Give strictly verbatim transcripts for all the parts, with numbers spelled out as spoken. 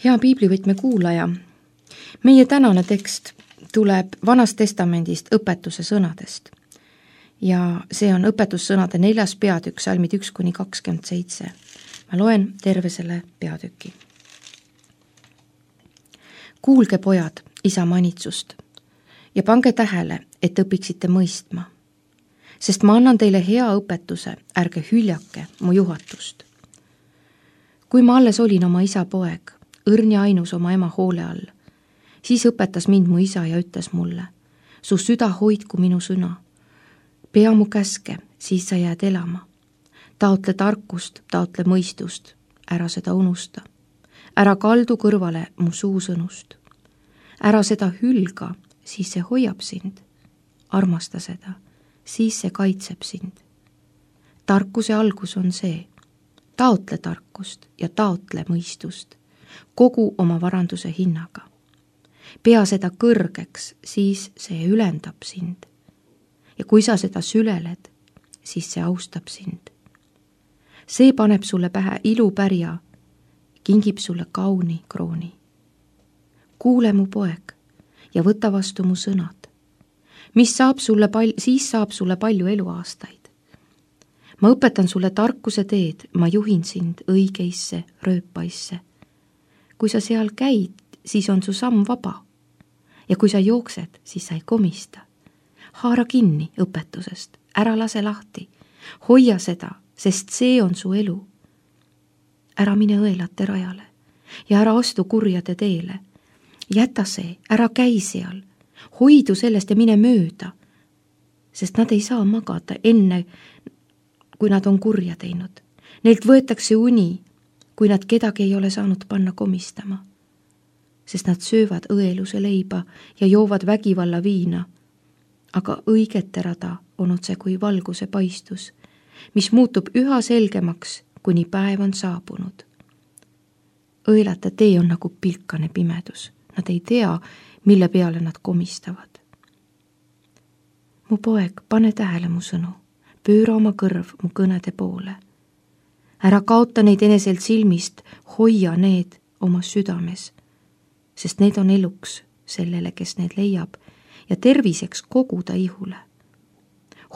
Hea piiblivõtme kuulaja, meie tänane tekst tuleb Vanast Testamendist õpetuse sõnadest ja see on õpetussõnade neljas peatükk, salmid üks kuni kakskümmend seitse. Ma loen terve selle peatüki. Kuulge, pojad, isa manitsust ja pange tähele, et õpiksite mõistma, sest ma annan teile hea õpetuse, ärge hüljake mu juhatust. Kui ma alles olin oma isa poeg, õrn ja ainus oma ema hoole all, siis õpetas mind mu isa ja ütles mulle, su süda hoidku minu sõna, pea mu käske, siis sa jääd elama. Taotle tarkust, taotle mõistust, ära seda unusta. Ära kaldu kõrvale mu suusõnust. Ära seda hülga, siis see hoiab sind. Armasta seda, siis see kaitseb sind. Tarkuse algus on see, taotle tarkust ja taotle mõistust, kogu oma varanduse hinnaga. Pea seda kõrgeks, siis see ülendab sind. Ja kui sa seda süleled, siis see austab sind. See paneb sulle pähe ilupärja, kingib sulle kauni krooni. Kuule mu poeg ja võta vastu mu sõnad, mis saab sulle pal- siis saab sulle palju eluaastaid. Ma õpetan sulle tarkuse teed, ma juhin sind õigeisse rööpaisse. Kui sa seal käid, siis on su samm vaba. Ja kui sa jooksed, siis sa ei komista. Haara kinni õpetusest, ära lase lahti. Hoia seda, sest see on su elu. Ära mine õelate rajale ja ära astu kurjade teele. Jäta see, ära käi seal. Hoidu sellest ja mine mööda, sest nad ei saa magada enne, kui nad on kurja teinud. Neilt võetakse uni, kui nad kedagi ei ole saanud panna komistama, sest nad söövad õeluse leiba ja joovad vägivalla viina, aga õigete rada on otse kui valguse paistus, mis muutub üha selgemaks, kuni päev on saabunud. Õelate tee on nagu pilkane pimedus, nad ei tea, mille peale nad komistavad. Mu poeg, pane tähele mu sõnu, pööra oma kõrv mu kõnede poole. Ära kaota neid eneselt silmist, hoia need oma südames, sest need on eluks sellele, kes need leiab, ja terviseks kogu ta ihule.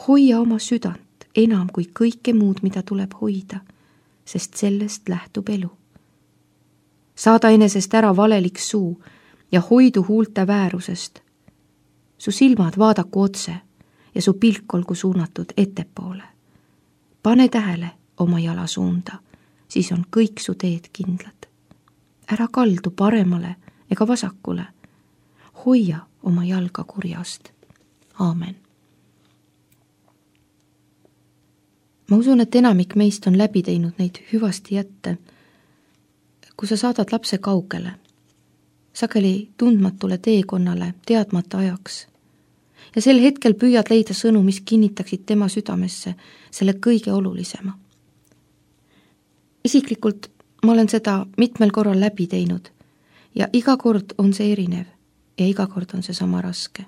Hoia oma südant enam kui kõike muud, mida tuleb hoida, sest sellest lähtub elu. Saada enesest ära valelik suu ja hoidu huulte väärusest. Su silmad vaadaku otse ja su pilk olgu suunatud ettepoole. Pane tähele oma jala suunda, siis on kõik su teed kindlad. Ära kaldu paremale ega vasakule. Hoia oma jalga kurjast. Aamen. Ma usun, et enamik meist on läbi teinud neid hüvasti jätte, kui sa saadad lapse kaugele, sageli tundmatule teekonnale, teadmata ajaks. Ja sel hetkel püüad leida sõnu, mis kinnitaksid tema südamesse selle kõige olulisema. Isiklikult ma olen seda mitmel korral läbi teinud ja iga kord on see erinev ja iga kord on see sama raske.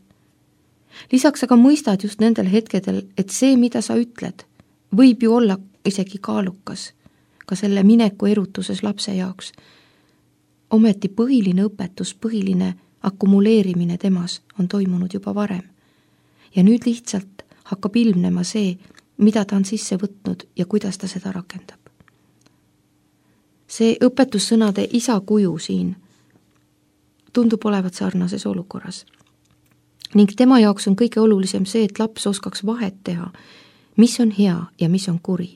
Lisaks aga mõistad just nendel hetkedel, et see, mida sa ütled, võib ju olla isegi kaalukas ka selle mineku erutuses lapse jaoks. Ometi põhiline õpetus, põhiline akkumuleerimine temas on toimunud juba varem. Ja nüüd lihtsalt hakkab ilmnema see, mida ta on sisse võtnud ja kuidas ta seda rakendab. See õpetussõnade isa kuju siin tundub olevat sarnases olukorras. Ning tema jaoks on kõige olulisem see, et laps oskaks vahet teha, mis on hea ja mis on kuri.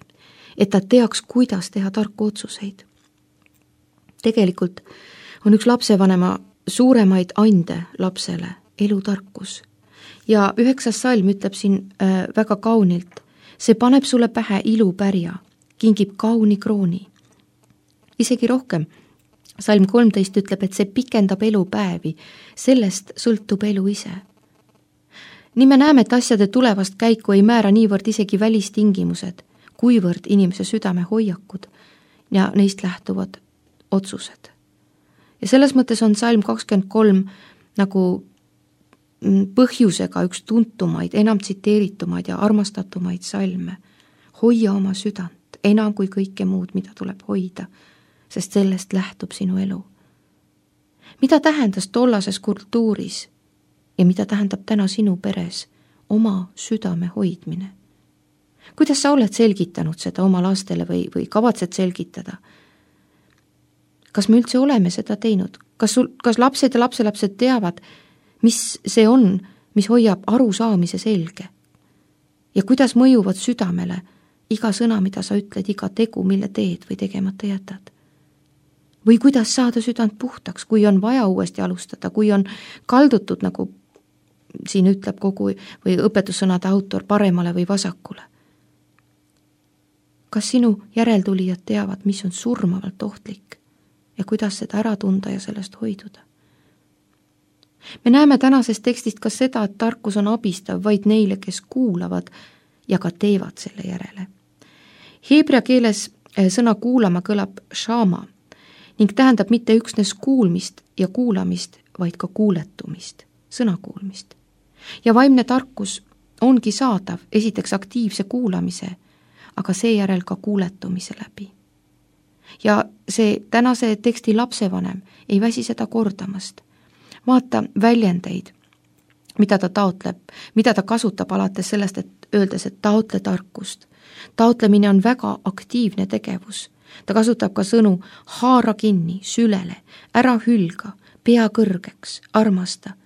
Et ta teaks, kuidas teha tarku otsuseid. Tegelikult on üks lapsevanema suuremaid ande lapsele elutarkus. Ja üheksas salm ütleb siin äh, väga kaunilt, see paneb sulle pähe ilupärja, kingib kauni krooni. Isegi rohkem, salm kolmteist ütleb, et see pikendab elupäevi, sellest sõltub elu ise. Nii me näeme, et asjade tulevast käiku ei määra niivõrd isegi välistingimused, kuivõrd inimese südame hoiakud ja neist lähtuvad otsused. Ja selles mõttes on salm kakskümmend kolm nagu põhjusega üks tuntumaid, enam tsiteeritumaid ja armastatumaid salme. Hoia oma südant enam kui kõike muud, mida tuleb hoida, sest sellest lähtub sinu elu. mida tähendas tollases kultuuris ja mida tähendab täna sinu peres oma südame hoidmine? Kuidas sa oled selgitanud seda oma lastele või, või kavatsed selgitada? Kas me üldse oleme seda teinud? Kas, sul, kas lapsed ja lapselapsed teavad, mis see on, mis hoiab arusaamise selge? Ja kuidas mõjuvad südamele iga sõna, mida sa ütled, iga tegu, mille teed või tegemata jätad? Või kuidas saada südant puhtaks, kui on vaja uuesti alustada, kui on kaldutud, nagu siin ütleb kogu või õpetussõnade autor, paremale või vasakule? Kas sinu järeltulijad teavad, mis on surmavalt ohtlik ja kuidas seda ära tunda ja sellest hoiduda? Me näeme tänasest tekstist ka seda, et tarkus on abistav vaid neile, kes kuulavad ja ka teevad selle järele. Heebrea keeles sõna kuulama kõlab shama ning tähendab mitte üksnes kuulmist ja kuulamist, vaid ka kuuletumist, sõna kuulmist. Ja vaimne tarkus ongi saadav esiteks aktiivse kuulamise, aga seejärel ka kuuletumise läbi. Ja see tänase teksti lapsevanem ei väsi seda kordamast. Vaata väljendeid, mida ta taotleb, mida ta kasutab alates sellest, et öeldes, et taotle tarkust. Taotlemine on väga aktiivne tegevus. Ta kasutab ka sõnu haara kinni, sülele, ära hülga, pea kõrgeks, armasta.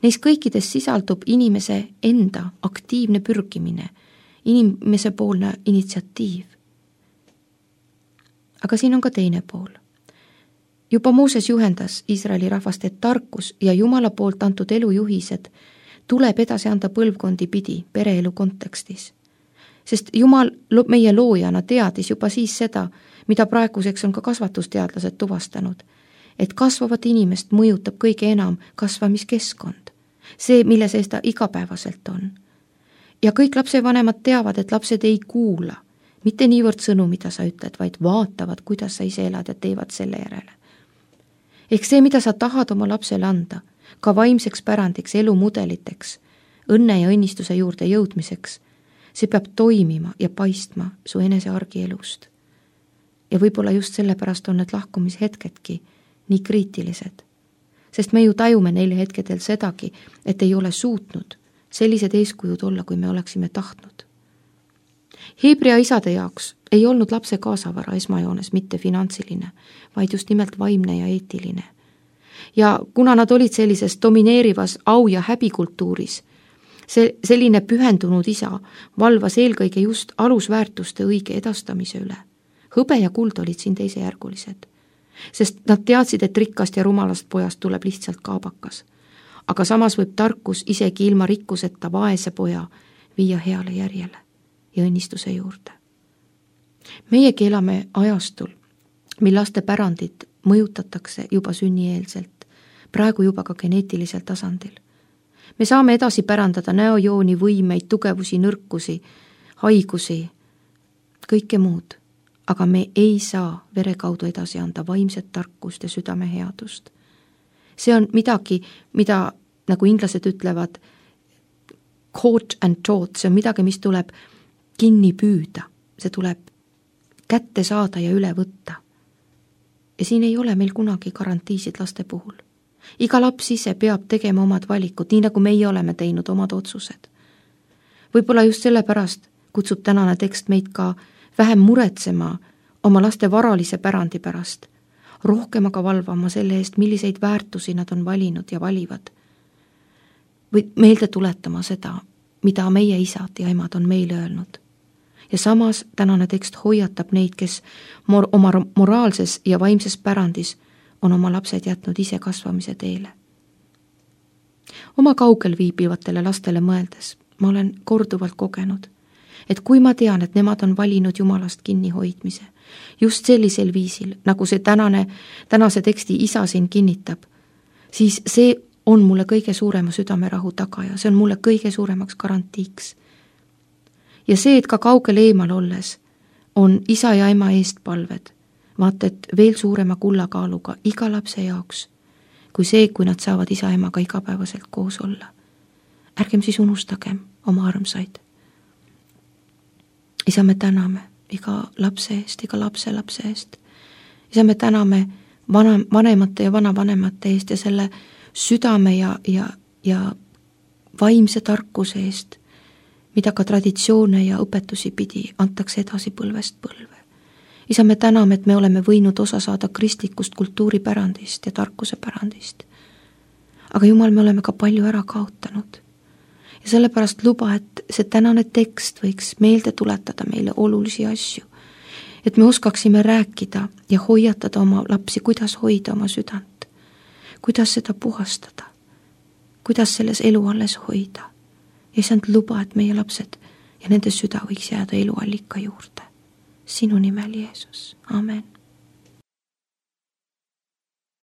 Neis kõikides sisaldub inimese enda aktiivne pürgimine, inimese poolne initsiatiiv. Aga siin on ka teine pool. Juba Mooses juhendas Iisraeli rahvast, et tarkus ja Jumala poolt antud elujuhised tuleb edasi anda põlvkondi pidi pereelu kontekstis. Sest Jumal meie loojana teadis juba siis seda, mida praeguseks on ka kasvatusteadlased tuvastanud, et kasvavat inimest mõjutab kõige enam kasvamiskeskkond, see, mille sees ta igapäevaselt on. Ja kõik lapsevanemad teavad, et lapsed ei kuula, mitte niivõrd sõnu, mida sa ütled, vaid vaatavad, kuidas sa ise elad ja teevad selle järele. Ehk see, mida sa tahad oma lapsele anda, ka vaimseks pärandiks, elumudeliteks, õnne ja õnnistuse juurde jõudmiseks, see peab toimima ja paistma su enese argielust. Ja võib-olla just sellepärast on need lahkumishetkedki nii kriitilised, sest me ju tajume neile hetkedel sedagi, et ei ole suutnud sellised eeskujud olla, kui me oleksime tahtnud. Heebrea isade jaoks ei olnud lapse kaasavara esmajoones mitte finantsiline, vaid just nimelt vaimne ja eetiline. Ja kuna nad olid sellises domineerivas au- ja häbikultuuris, see selline pühendunud isa valvas eelkõige just alusväärtuste õige edastamise üle. Hõbe ja kuld olid siin teisejärgulised, sest nad teadsid, et rikkast ja rumalast pojast tuleb lihtsalt kaabakas. Aga samas võib tarkus isegi ilma rikkuseta vaese poja viia heale järjele ja õnnistuse juurde. Meiegi elame ajastul, mil laste pärandit mõjutatakse juba sünnieelselt, praegu juba ka geneetilisel tasandil. Me saame edasi pärandada näojooni, võimeid, tugevusi, nõrkusi, haigusi, kõike muud, aga me ei saa vere kaudu edasi anda vaimset tarkust ja südame headust. See on midagi, mida, nagu inglased ütlevad, caught and taught, see on midagi, mis tuleb kinni püüda, see tuleb kätte saada ja üle võtta. Ja siin ei ole meil kunagi garantiisid laste puhul. Iga laps ise peab tegema omad valikud, nii nagu meie oleme teinud omad otsused. Võib-olla just sellepärast kutsub tänane tekst meid ka vähem muretsema oma laste varalise pärandi pärast, rohkem aga valvama selle eest, milliseid väärtusi nad on valinud ja valivad. Või meelde tuletama seda, mida meie isad ja emad on meile öelnud. Ja samas tänane tekst hoiatab neid, kes mor- oma moraalses ja vaimses pärandis on oma lapsed jätnud ise kasvamise teele. Oma kaugel viibivatele lastele mõeldes ma olen korduvalt kogenud, et kui ma tean, et nemad on valinud Jumalast kinnihoidmise, just sellisel viisil, nagu see tänane, tänase teksti isa siin kinnitab, siis see on mulle kõige suurema südamerahu tagaja, see on mulle kõige suuremaks garantiiks. Ja see, et ka kaugel eemal olles on isa ja ema eest palved, vaata, et veel suurema kullakaaluga iga lapse jaoks, kui see, kui nad saavad isa ja emaga igapäevaselt koos olla. Ärgem siis unustagem oma armsaid. Isa, me täname iga lapse eest, iga lapse lapse eest. Isa, me täname vana, vanemate ja vanavanemate eest ja selle südame ja, ja, ja vaimse tarkuse eest, mida ka traditsioone ja õpetusi pidi antakse edasi põlvest põlve. Isa, me täname, et me oleme võinud osa saada kristlikust kultuuripärandist ja tarkuse pärandist. Aga Jumal, me oleme ka palju ära kaotanud. Ja sellepärast luba, et see tänane tekst võiks meelde tuletada meile olulisi asju. Et me oskaksime rääkida ja hoiatada oma lapsi, kuidas hoida oma südant. Kuidas seda puhastada. Kuidas selles elu alles hoida. Ja isand luba, et meie lapsed ja nende süda võiks jääda eluallika juurde. Sinu nimel, Jeesus. Amen.